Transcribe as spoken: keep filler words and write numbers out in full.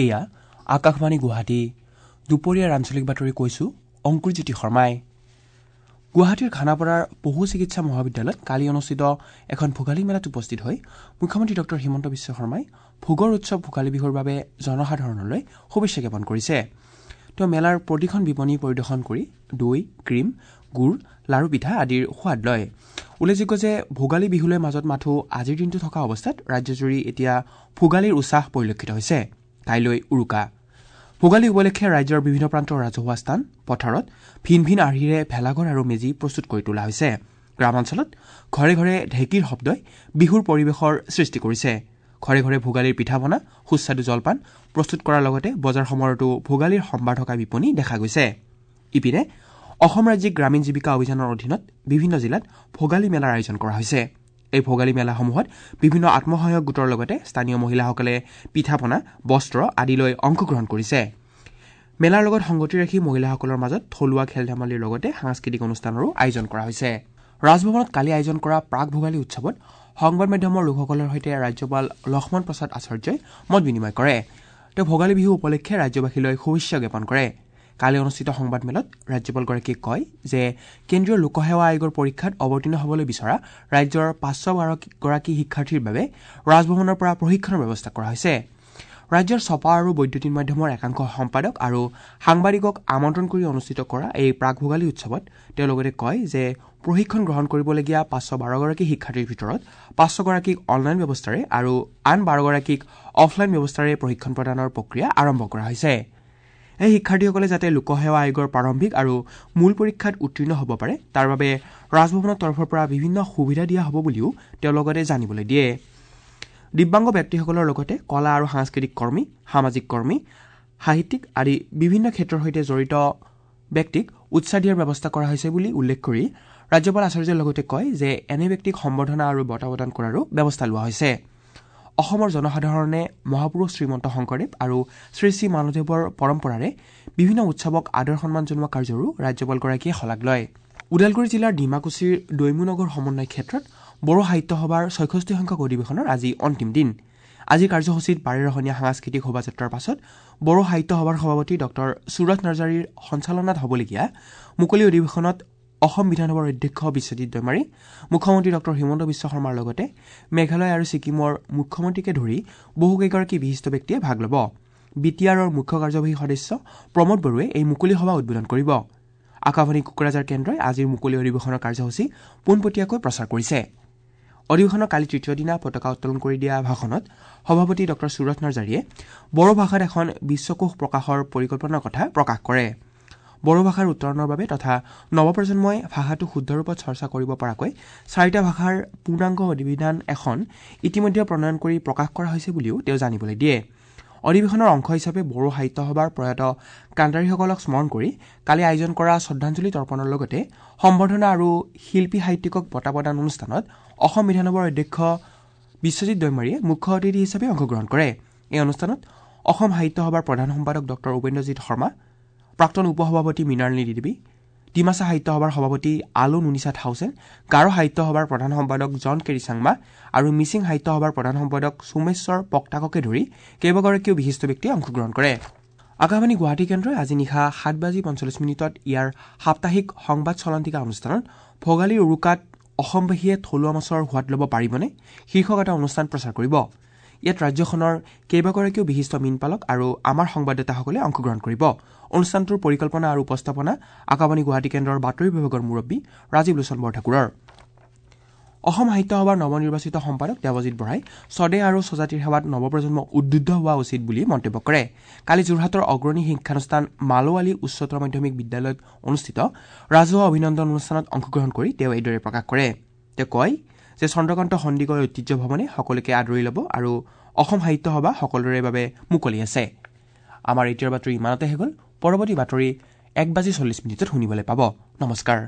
এয়া আকাশবাণী গুৱাহাটী। দুপৰীয়াৰ আঞ্চলিক বাতৰি কৈছো অংকুৰজ্যোতি শৰ্মাই। গুৱাহাটীৰ খানাপাৰাৰ পশু চিকিৎসা মহাবিদ্যালয়ত কালি অনুষ্ঠিত এখন ভোগালী মেলাত উপস্থিত হৈ মুখ্যমন্ত্ৰী ডক্টৰ হিমন্ত বিশ্ব শৰ্মাই ভোগৰ উৎসৱ ভোগালী বিহুৰ বাবে জনসাধাৰণলৈ শুভেচ্ছা জ্ঞাপন কৰিছে। তেওঁ মেলাৰ প্ৰতিখন বিপণী পৰিদৰ্শন কৰি দৈ, ক্ৰীম, গুৰ, লাৰু পিঠা আদিৰ সোৱাদ লয়। উল্লেখযোগ্য যে ভোগালী বিহুলৈ মাজত মাথো আজিৰ দিনটো থকা অৱস্থাত ৰাজ্যজুৰি এতিয়া ভোগালীৰ উৎসাহ পৰিলক্ষিত হৈছে। কাইলৈ উৰুকা। ভোগালী উপলক্ষে ৰাজ্যৰ বিভিন্ন প্ৰান্তৰ ৰাজহুৱা স্থান, পথাৰত ভিন ভিন আৰ্হিৰে ভেলাঘৰ আৰু মেজি প্ৰস্তুত কৰি তোলা হৈছে। গ্ৰামাঞ্চলত ঘৰে ঘৰে ঢেঁকীৰ শব্দই বিহুৰ পৰিৱেশৰ সৃষ্টি কৰিছে। ঘৰে ঘৰে ভোগালীৰ পিঠা পনা, সুস্বাদু জলপান প্ৰস্তুত কৰাৰ লগতে বজাৰ সমাৰতো ভোগালীৰ সম্ভাৰ থকা বিপণী দেখা গৈছে। ইপিনে অসম ৰাজ্যিক গ্ৰামীণ জীৱিকা অভিযানৰ অধীনত বিভিন্ন জিলাত ভোগালী মেলাৰ আয়োজন কৰা হৈছে। এই ভোগালী মেলাসমূহত বিভিন্ন আত্মসহায়ক গোটৰ লগতে স্থানীয় মহিলাসকলে পিঠা পনা, বস্ত্ৰ আদি লৈ অংশগ্ৰহণ কৰিছে। মেলাৰ লগত সংগতি ৰাখি মহিলাসকলৰ মাজত থলুৱা খেল ধেমালিৰ লগতে সাংস্কৃতিক অনুষ্ঠানৰো আয়োজন কৰা হৈছে। ৰাজভৱনত কালি আয়োজন কৰা প্ৰাক ভোগালী উৎসৱত সংবাদ মাধ্যমৰ লোকসকলৰ সৈতে ৰাজ্যপাল লক্ষ্মণ প্ৰসাদ আচাৰ্যই মত বিনিময় কৰে। তেওঁ ভোগালী বিহু উপলক্ষে ৰাজ্যবাসীলৈ শুভেচ্ছা জ্ঞাপন কৰে। কালি অনুষ্ঠিত সংবাদমেলত ৰাজ্যপালগৰাকীয়ে কয় যে কেন্দ্ৰীয় লোকসেৱা আয়োগৰ পৰীক্ষাত অৱতীৰ্ণ হ'বলৈ বিচৰা ৰাজ্যৰ পাঁচশ বাৰগৰাকী শিক্ষাৰ্থীৰ বাবে ৰাজভৱনৰ পৰা প্ৰশিক্ষণৰ ব্যৱস্থা কৰা হৈছে। ৰাজ্যৰ ছপা আৰু বৈদ্যুতিন মাধ্যমৰ একাংশ সম্পাদক আৰু সাংবাদিকক আমন্ত্ৰণ কৰি অনুষ্ঠিত কৰা এই প্ৰাক ভোগালী উৎসৱত তেওঁ লগতে কয় যে প্ৰশিক্ষণ গ্ৰহণ কৰিবলগীয়া পাঁচশ বাৰগৰাকী শিক্ষাৰ্থীৰ ভিতৰত পাঁচশগৰাকীক অনলাইন ব্যৱস্থাৰে আৰু আন বাৰগৰাকীক অফলাইন ব্যৱস্থাৰে প্ৰশিক্ষণ প্ৰদানৰ প্ৰক্ৰিয়া আৰম্ভ কৰা হৈছে। এই শিক্ষাৰ্থীসকলে যাতে লোকসেৱা আয়োগৰ প্ৰাৰম্ভিক আৰু মূল পৰীক্ষাত উত্তীৰ্ণ হ'ব পাৰে তাৰ বাবে ৰাজভৱনৰ তৰফৰ পৰা বিভিন্ন সুবিধা দিয়া হ'ব বুলিও তেওঁ লগতে জানিবলৈ দিয়ে। দিব্যাংগ ব্যক্তিসকলৰ লগতে কলা আৰু সাংস্কৃতিক কৰ্মী, সামাজিক কৰ্মী, সাহিত্যিক আদি বিভিন্ন ক্ষেত্ৰৰ সৈতে জড়িত ব্যক্তিক উৎসাহ দিয়াৰ ব্যৱস্থা কৰা হৈছে বুলি উল্লেখ কৰি ৰাজ্যপাল আচাৰ্যই লগতে কয় যে এনে ব্যক্তিক সম্বৰ্ধনা আৰু বঁটা প্ৰদান কৰাৰো ব্যৱস্থা লোৱা হৈছে। অসমৰ জনসাধাৰণে মহাপুৰুষ শ্ৰীমন্ত শংকৰদেৱ আৰু শ্ৰী শ্ৰী মাধৱদেৱৰ পৰম্পৰাৰে বিভিন্ন উৎসৱক আদৰ সন্মান জনোৱা কাৰ্যৰো ৰাজ্যপালগৰাকীয়ে শলাগ লয়। ওদালগুৰি জিলাৰ ডিমাকুছিৰ দৈমুনগৰ সমন্বয় ক্ষেত্ৰত বড়ো সাহিত্য সভাৰ ছয়ষষ্ঠি সংখ্যক অধিৱেশনৰ আজি অন্তিম দিন। আজিৰ কাৰ্যসূচীত বাৰেৰহণীয়া সাংস্কৃতিক শোভাযাত্ৰাৰ পাছত বড়ো সাহিত্য সভাৰ সভাপতি ডক্টৰ সুৰথ নাৰ্জাৰীৰ সঞ্চালনাত হ'বলগীয়া মুকলি অধিৱেশনত অসম বিধানসভাৰ অধ্যক্ষ বিশ্বজিৎ দৈমাৰী, মুখ্যমন্ত্ৰী ডক্টৰ হিমন্ত বিশ্ব শৰ্মাৰ লগতে মেঘালয় আৰু ছিকিমৰ মুখ্যমন্ত্ৰীকে ধৰি বহুকেইগৰাকী বিশিষ্ট ব্যক্তিয়ে ভাগ ল'ব। বি টি আৰৰ মুখ্য কাৰ্যবাহী সদস্য প্ৰমোদ বড়োৱে এই মুকলি সভা উদ্বোধন কৰিব। আকাশবাণী কোকৰাঝাৰ কেন্দ্ৰই আজিৰ মুকলি অধিৱেশনৰ কাৰ্যসূচী পোনপটীয়াকৈ প্ৰচাৰ কৰিছে। অধিৱেশনৰ কালি তৃতীয় দিনা পতাকা উত্তোলন কৰি দিয়া ভাষণত সভাপতি ডক্টৰ সুৰথ নাৰ্জাৰীয়ে বড়ো ভাষাত এখন বিশ্বকোষ প্ৰকাশৰ পৰিকল্পনাৰ কথা প্ৰকাশ কৰে। বড়ো ভাষাৰ উত্তৰণৰ বাবে তথা নৱপ্ৰজন্মই ভাষাটো শুদ্ধ ৰূপত চৰ্চা কৰিব পৰাকৈ চাৰিটা ভাষাৰ পূৰ্ণাংগ অভিধান এখন ইতিমধ্যে প্ৰণয়ন কৰি প্ৰকাশ কৰা হৈছে বুলিও তেওঁ জানিবলৈ দিয়ে। অধিৱেশনৰ অংশ হিচাপে বড়ো সাহিত্য সভাৰ প্ৰয়াত কাণ্ডাৰীসকলক স্মৰণ কৰি কালি আয়োজন কৰা শ্ৰদ্ধাঞ্জলি তৰ্পণৰ লগতে সম্বৰ্ধনা আৰু শিল্পী সাহিত্যিকক বঁটা প্ৰদান অনুষ্ঠানত অসম বিধানসভাৰ অধ্যক্ষ বিশ্বজিৎ দৈমাৰীয়ে মুখ্য অতিথি হিচাপে অংশগ্ৰহণ কৰে। এই অনুষ্ঠানত অসম সাহিত্য সভাৰ প্ৰধান সম্পাদক ডক্টৰ উপেন্দ্ৰজিৎ শৰ্মা, প্ৰাক্তন উপসভাপতি মৃণালিনী দেৱী, ডিমাচা সাহিত্য সভাৰ সভাপতি আলো নুনিচা থাউচেন, গাৰো সাহিত্য সভাৰ প্ৰধান সম্পাদক জন কেৰি চাংমা আৰু মিচিং সাহিত্য সভাৰ প্ৰধান সম্পাদক সোমেশ্বৰ পক্তাককে ধৰি কেইবাগৰাকীও বিশিষ্ট ব্যক্তিয়ে অংশগ্ৰহণ কৰে। আকাশবাণী গুৱাহাটী কেন্দ্ৰই আজি নিশা সাত বাজি পঞ্চল্লিছ মিনিটত ইয়াৰ সাপ্তাহিক সংবাদ চলন্তিকা অনুষ্ঠানত ভোগালীৰ উৰুকাত অসমবাসীয়ে থলুৱা মাছৰ সোৱাদ ল'ব পাৰিবনে শীৰ্ষক এটা অনুষ্ঠান প্ৰচাৰ কৰিব। ইয়াত ৰাজ্যখনৰ কেইবাগৰাকীও বিশিষ্ট মীনপালক আৰু আমাৰ সংবাদদাতাসকলে অংশগ্ৰহণ কৰিব। অনুষ্ঠানটোৰ পৰিকল্পনা আৰু উপস্থাপনা আকাশবাণী গুৱাহাটী কেন্দ্ৰৰ বাতৰি বিভাগৰ মুৰব্বী ৰাজীৱ লোচন বৰঠাকুৰৰ। অসম সাহিত্য সভাৰ নৱনিৰ্বাচিত সম্পাদক দেৱজিৎ বৰাই স্বদেশ আৰু স্বজাতিৰ সেৱাত নৱপ্ৰজন্ম উদ্বুদ্ধ হোৱা উচিত বুলি মন্তব্য কৰে। কালি যোৰহাটৰ অগ্ৰণী শিক্ষানুষ্ঠান মালোৱালী উচ্চতৰ মাধ্যমিক বিদ্যালয়ত অনুষ্ঠিত ৰাজহুৱা অভিনন্দন অনুষ্ঠানত অংশগ্ৰহণ কৰি তেওঁ এইদৰে প্ৰকাশ কৰে। তেওঁ কয় যে চন্দ্ৰকান্ত সন্দিকৈ ঐতিহ্য ভৱনে সকলোকে আদৰি ল'ব আৰু অসম সাহিত্য সভা সকলোৰে বাবে মুকলি আছে। আমাৰ এতিয়াৰ বাতৰি ইমানতে শেষ হ'ল। পৰৱৰ্তী বাতৰি এক বাজি চল্লিছ মিনিটত শুনিবলৈ পাব। নমস্কাৰ।